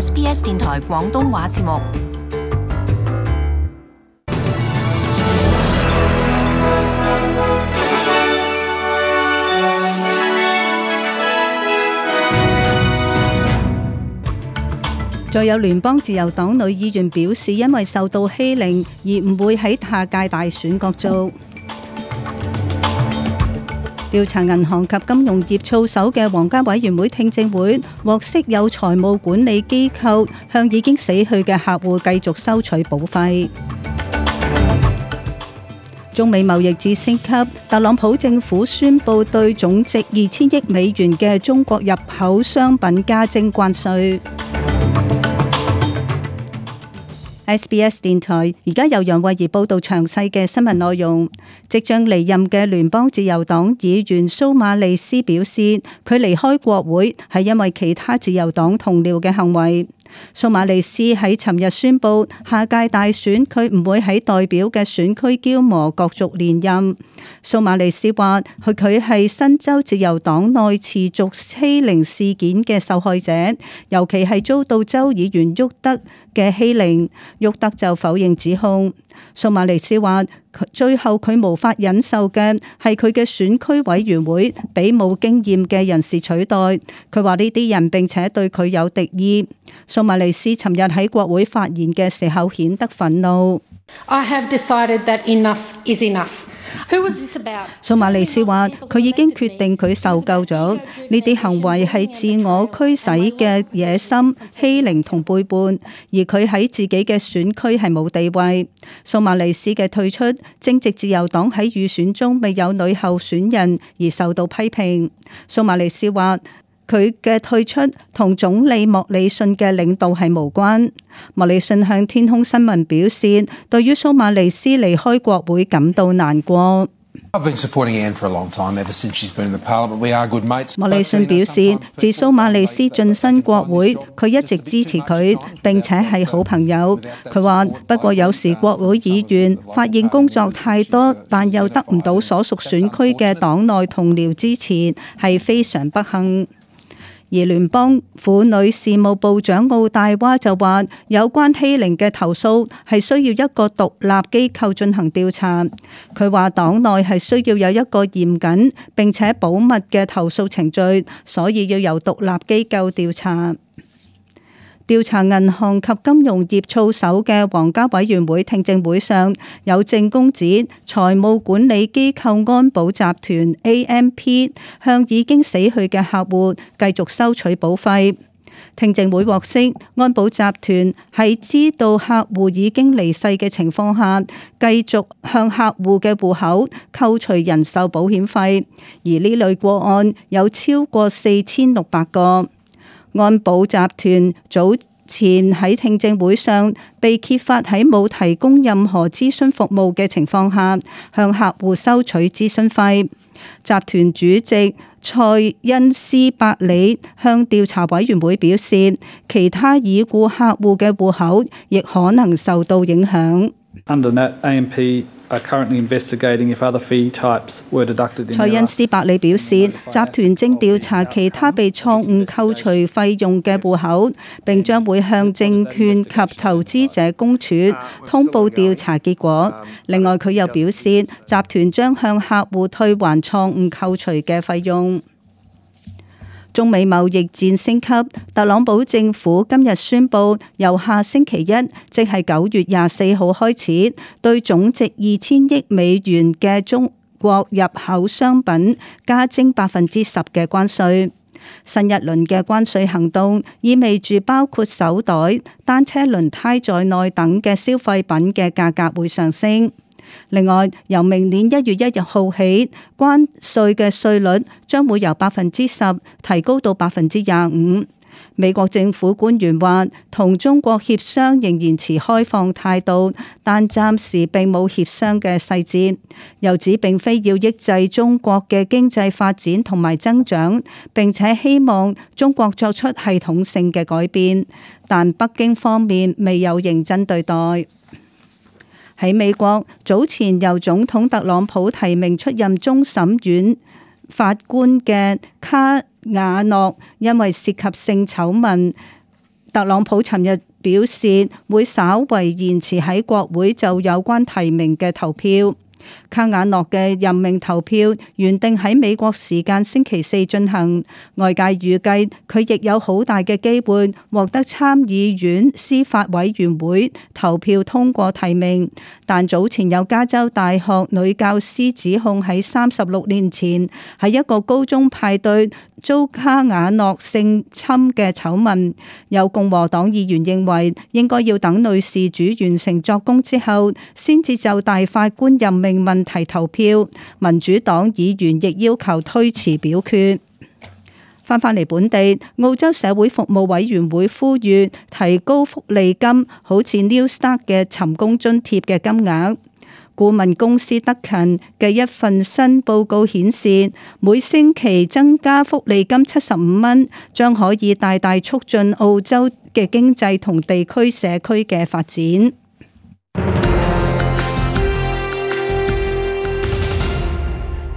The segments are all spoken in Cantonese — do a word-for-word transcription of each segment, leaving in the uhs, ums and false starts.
S B S 電台廣東話節目。再有聯邦自由黨女議員表示，因為受到欺凌而唔會喺下屆大選角逐。調查銀行及金融業操守嘅皇家委員會聽證會獲悉，有財務管理機構向已經死去嘅客戶繼續收取保費。中美貿易戰升級，特朗普政府宣布對總值二千億美元嘅中國入口商品加徵關稅。S B S 電台而家由楊慧儀報道詳細嘅新聞內容。即將離任嘅聯邦自由黨議員蘇馬利斯表示，佢離開國會係因為其他自由黨同僚嘅行為。蘇馬利斯喺尋日宣布，下屆大選佢唔會喺代表嘅選區嬌磨角逐連任。蘇馬利斯話，佢佢係新州自由黨內持續欺凌事件嘅受害者，尤其係遭到州議員沃德嘅欺凌。沃德就否認指控。蘇馬利斯話，最後佢無法忍受嘅係佢嘅選區委員會俾冇經驗嘅人士取代。佢話呢啲人並且對佢有敵意。蘇馬利斯尋日喺國會發言嘅時候顯得憤怒。I have decided that enough is enough. Who was this about? 蘇馬利斯話，佢已經決定佢受夠咗呢啲行為係自我驅使嘅野心、欺凌同背叛，而佢喺自己嘅選區係冇地位。蘇馬利斯嘅退出正值自由黨喺預選中未有女候選人而受到批評。蘇馬利斯話，佢嘅退出同總理莫里遜嘅領導係無關。莫里遜向天空新聞表示，對於蘇馬利斯離開國會感到難過。I've been supporting Anne for a long time, ever since she's been in the Parliament. We are good mates. 莫里遜表示，自蘇馬利斯晉身國會，佢一直支持佢，並且係好朋友。佢話，不過有時國會議員發現工作太多，但又得唔到所屬選區嘅黨內同僚支持，係非常不幸。而聯邦婦女事務部長奧戴娃就話，有關欺凌嘅投訴係需要一個獨立機構進行調查。佢話黨內係需要有一個嚴謹並且保密嘅投訴程序，所以要由獨立機構調查。調查銀行及金融業操守嘅皇家委員會聽證會上，有證供指財務管理機構安保集團 A M P 向已經死去嘅客戶繼續收取保費。聽證會獲悉，安保集團係知道客戶已經離世嘅情況下，繼續向客戶嘅戶口扣除人壽保險費，而呢類個案有超過四千六百個。安保集團早前喺聽證會上被揭發喺冇提供任何諮詢服務嘅情況下，向客戶收取諮詢費。集團主席蔡恩斯伯里向調查委員會表示，其他已故客戶嘅戶口亦可能受到影響。Under that, A M P are currently investigating if other fee types were deducted in. 蔡恩斯伯里表示，集團正調查其他被錯誤扣除費用嘅戶口，並將會向證券及投資者公署通報調查結果。另外，佢又表示，集團將向客戶退還錯誤扣除嘅費用。中美貿易戰升級，特朗普政府今日宣布，由下星期一，即係九月廿四號開始，對總值二千億美元嘅中國入口商品加徵百分之十嘅關稅。新一輪嘅關稅行動意味住包括手袋、單車輪胎在內等嘅消費品嘅價格會上升。另外，由明年一月一日號起，關稅嘅稅率將會由百分之十提高到百分之廿五。美國政府官員話，同中國協商仍然持開放態度，但暫時並冇協商嘅細節。又指並非要抑制中國嘅經濟發展同埋增長，並且希望中國作出系統性嘅改變，但北京方面未有認真對待。喺美國，早前由總統特朗普提名出任終審院法官嘅卡瓦諾，因為涉及性醜聞特朗普尋日表示會稍為延遲喺國會就有關提名嘅投票。卡瓦諾嘅任命投票原定喺美國時間星期四進行，外界預計佢亦有好大嘅機會獲得參議院司法委員會投票通過提名。但早前有加州大學女教師指控喺三十六年前喺一個高中派對遭卡瓦諾性侵嘅醜聞，有共和黨議員認為應該要等女事主完成作供之後，先至就大法官任命問題投票。民主黨議員亦要求推遲表決。翻返嚟本地，澳洲社會服務委員會呼籲提高福利金，好似 New Start 嘅尋工津貼嘅金額。顧問公司德勤嘅一份新報告顯示，每星期增加福利金七十五蚊，將可以大大促進澳洲嘅經濟同地區社區嘅發展。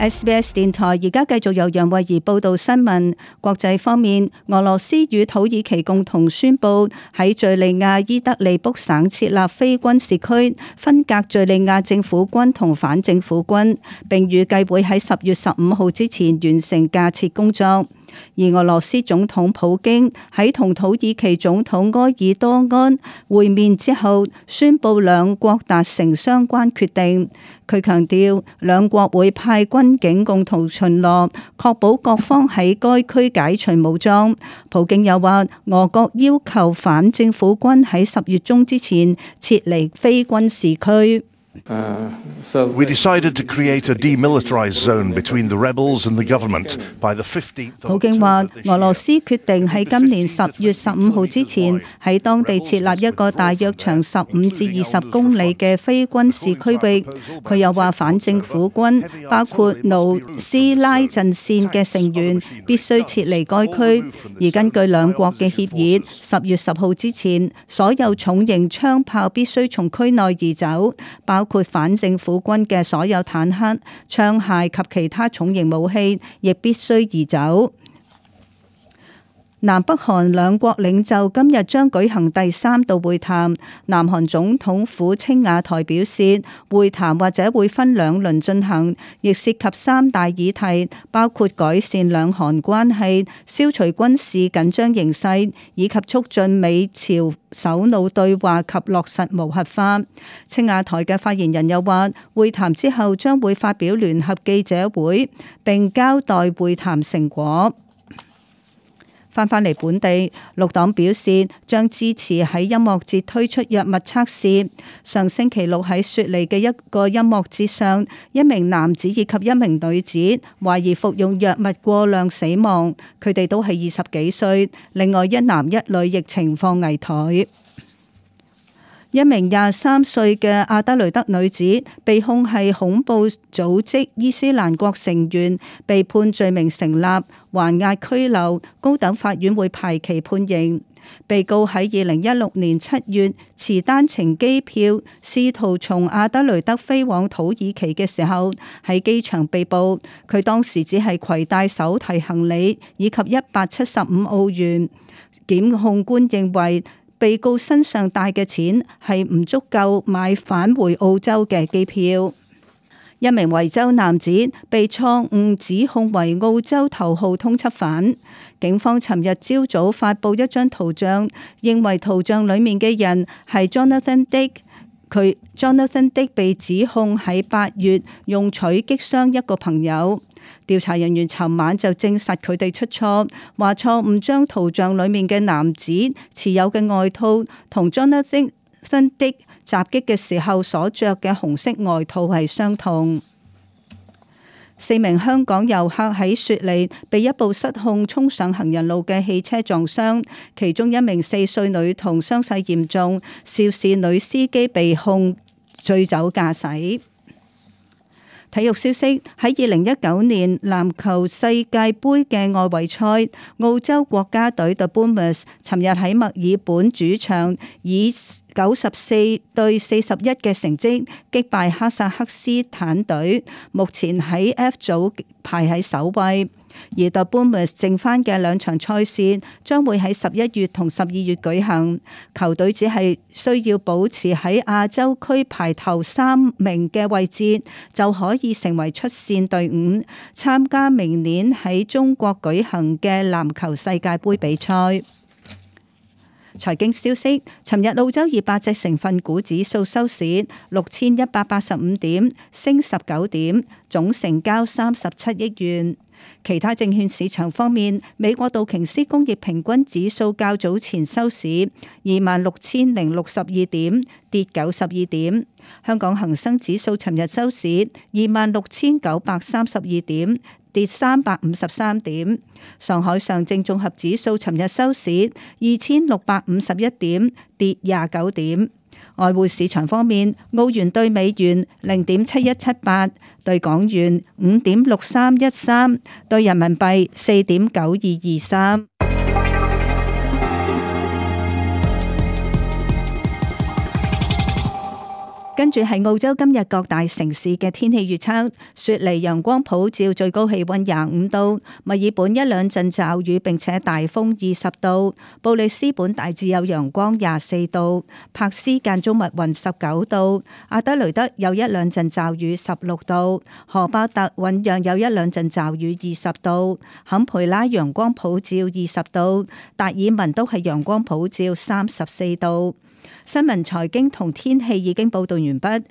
S B S 電台而家繼續由楊慧儀報道新聞。國際方面，俄羅斯與土耳其共同宣布喺敘利亞伊德利卜省設立非軍事區，分隔敘利亞政府軍同反政府軍，並預計會喺十月十五號之前完成架設工作。而俄羅斯總統普京喺同土耳其總統埃爾多安會面之後，宣布兩國達成相關決定。佢強調兩國會派軍警共同巡邏，確保各方喺該區解除武裝。普京又話，俄國要求反政府軍喺十月中之前撤離非軍事區。We decided to create a demilitarized zone between the rebels and the government by the fifteenth. 普京話，俄羅斯決定喺今年十月十五號之前喺當地設立一個大約長十五至二十公里嘅非軍事區域。佢又話，反政府軍包括努斯拉陣線嘅成員必須撤離該區，而根據兩國嘅協議，十月十號之前，所有重型槍炮必須從區內移走，包括反政府軍嘅所有坦克、槍械及其他重型武器，亦必須移走。南北韓兩國領袖今日將舉行第三度會談。南韓總統府青瓦台表示，會談或者會分兩輪進行，亦涉及三大議題，包括改善兩韓關係、消除軍事緊張形勢，以及促進美朝首腦對話及落實無核化。青瓦台嘅發言人又話，會談之後將會發表聯合記者會，並交代會談成果。翻返嚟本地，綠黨表示將支持喺音樂節推出藥物測試。上星期六喺雪梨嘅一個音樂節上，一名男子以及一名女子懷疑服用藥物過量死亡，佢哋都係二十幾歲，另外一男一女亦情況危殆。一名廿三歲嘅阿德雷德女子被控係恐怖組織伊斯蘭國成員，被判罪名成立，還押拘留，高等法院會排期判刑。被告喺二零一六年七月持單程機票，試圖從阿德雷德飛往土耳其嘅時候，喺機場被捕。佢當時只係攜帶手提行李以及一百七十五澳元。檢控官認為，被告身上帶嘅錢係唔足夠買返回澳洲嘅機票。一名維州男子被錯誤指控為澳洲頭號通緝犯。警方尋日朝早發布一張圖像，認為圖像裡面嘅人係 Jonathan Dick。佢 Jonathan Dick 被指控喺八月用錘擊傷一個朋友。調查人員尋晚就證實佢哋出錯，話錯誤將圖像裡面嘅男子持有嘅外套同 Jonathan Dick 襲擊嘅時候所着嘅紅色外套係相同。四名香港遊客喺雪梨被一部失控衝上行人路嘅汽車撞傷，其中一名四歲女童傷勢嚴重，肇事女司機被控醉酒駕駛。體育消息，喺二零一九年籃球世界盃嘅外圍賽，澳洲國家隊 The Boomers 尋日喺墨爾本主場以九十四對四十一嘅成績擊敗哈薩克斯坦隊，目前喺 F 組排喺首位。而 The Boomers 剩翻嘅兩場賽事將會喺十一月同十二月舉行，球隊只係需要保持喺亞洲區排頭三名嘅位置，就可以成為出線隊伍，參加明年喺中國舉行嘅籃球世界盃比賽。財經消息，尋日澳洲二百隻成分股指數收市六千一百八十五點，升十九點，總成交三十七億元。其他證券市場方面，美國道瓊斯工業平均指數較早前收市二萬六千零六十二點，跌九十二點。香港恒生指數尋日收市二萬六千九百三十二點，跌三百五十三點。上海上證綜合指數尋日收市二千六百五十一點，跌廿九點。外匯市場方面，澳元兌美元零點七一七八，兌港元五點六三一三，兌人民幣四點九二二三。跟住係澳洲今日各大城市嘅天氣預測：雪梨陽光普照，最高氣溫廿五度；墨爾本一兩陣驟雨，並且大風二十度；布里斯本大致有陽光廿四度；柏斯間中密雲十九度；阿德雷德有一兩陣驟雨十六度；荷巴特醞釀有一兩陣驟雨二十度；坎培拉陽光普照二十度；達爾文都係陽光普照三十四度。新聞、財經同天氣已經報道完畢。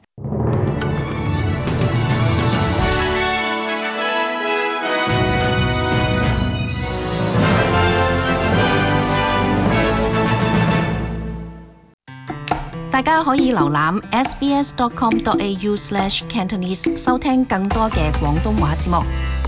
大家可以瀏覽 s b s dot com dot a u slash cantonese 收聽更多嘅廣東話節目。